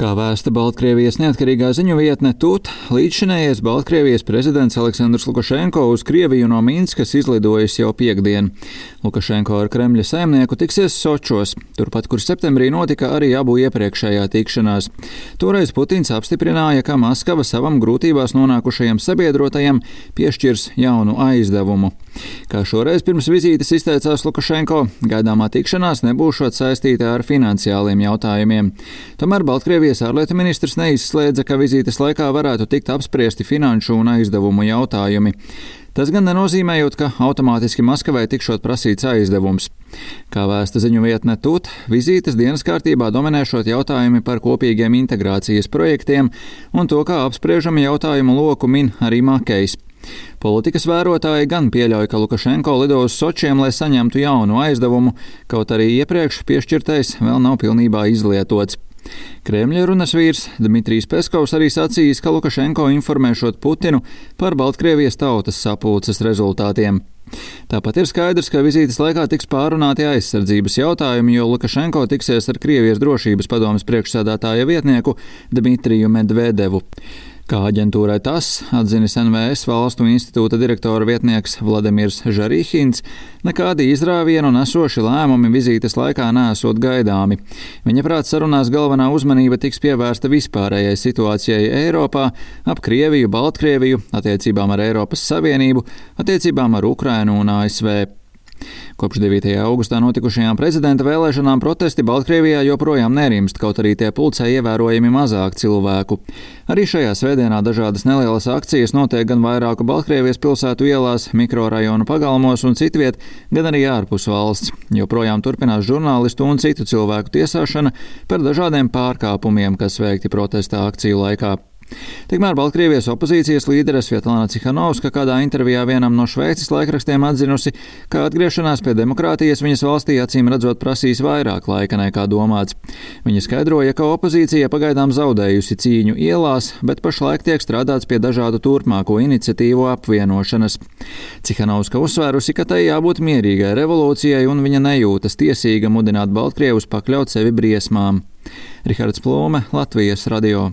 Kā vēsta Baltkrievijas neatkarīgā ziņu vietne TUT, līdzšinējais Baltkrievijas prezidents Aleksandrs Lukašenko uz Krieviju no Minskas izlidojis jau piektdien. Lukašenko ar Kremļa saimnieku tiksies Sočos, turpat, kur septembrī notika arī abu iepriekšējā tikšanās. Toreiz Putins apstiprināja, ka Maskava savam grūtībās nonākušajam sabiedrotajam piešķirs jaunu aizdevumu. Kā šoreiz pirms vizītes izteicās Lukašenko, gaidāmā tikšanās nebūšot saistīta ar finansiāliem jautājumiem. Tomēr Baltkrievijas ārlietu ministrs neizslēdza, ka vizītes laikā varētu tikt apspriesti finanšu un aizdevumu jautājumi. Tas gan nenozīmējot, ka automātiski Maskavai tikšot prasīts aizdevums. Kā vēsta ziņu vietne TUT, vizītes dienas kārtībā dominēšot jautājumi par kopīgiem integrācijas projektiem un to, kā apspriežami jautājumu loku min arī Makejs. Politikas vērotāji gan pieļauj, ka Lukašenko lido uz Sočiem, lai saņemtu jaunu aizdevumu, kaut arī iepriekš piešķirtais vēl nav pilnībā izlietots. Kremļa runas vīrs Dmitrijs Peskovs arī sacījis, ka Lukašenko informēšot Putinu par Baltkrievijas tautas sapulces rezultātiem. Tāpat ir skaidrs, ka vizītes laikā tiks pārunāti aizsardzības jautājumi, jo Lukašenko tiksies ar Krievijas drošības padomes priekšsēdētāja vietnieku Dmitriju Medvedevu. Kā aģentūrai TASS atzinis NVS valstu institūta direktora vietnieks Vladimirs Žarihins, nekādi izrāvienu nesoši lēmumi vizītes laikā neesot gaidāmi. Viņa prāt sarunās galvenā uzmanība tiks pievērsta vispārējai situācijai Eiropā, ap Krieviju, Baltkrieviju, attiecībām ar Eiropas Savienību, attiecībām ar Ukrainu un ASV. Kopš 9. augustā notikušajām prezidenta vēlēšanām protesti Baltkrievijā joprojām nerimst, kaut arī tie pulcē ievērojami mazāk cilvēku. Arī šajā svētdienā dažādas nelielas akcijas notiek gan vairāku Baltkrievijas pilsētu ielās, mikrorajonu pagalmos un citviet, gan arī ārpus valsts. Joprojām turpinās žurnālistu un citu cilvēku tiesāšana par dažādiem pārkāpumiem, kas veikti protesta akciju laikā. Tikmēr Baltkrievijas opozīcijas līdere Svetlana Cihanovska kādā intervijā vienam no Šveices laikrakstiem atzinusi, ka atgriešanās pie demokrātijas viņas valstī acīm redzot prasīs vairāk laika nekā domāts. Viņa skaidroja, ka opozīcija pagaidām zaudējusi cīņu ielās, bet pašlaik tiek strādāts pie dažādu turpmāko iniciatīvu apvienošanas. Cihanovska uzsvērusi, ka tai jābūt mierīgai revolūcijai un viņa nejūtas tiesīga mudināt Baltkrievus pakļaut sevi briesmām. Rihards Plūme, Latvijas radio.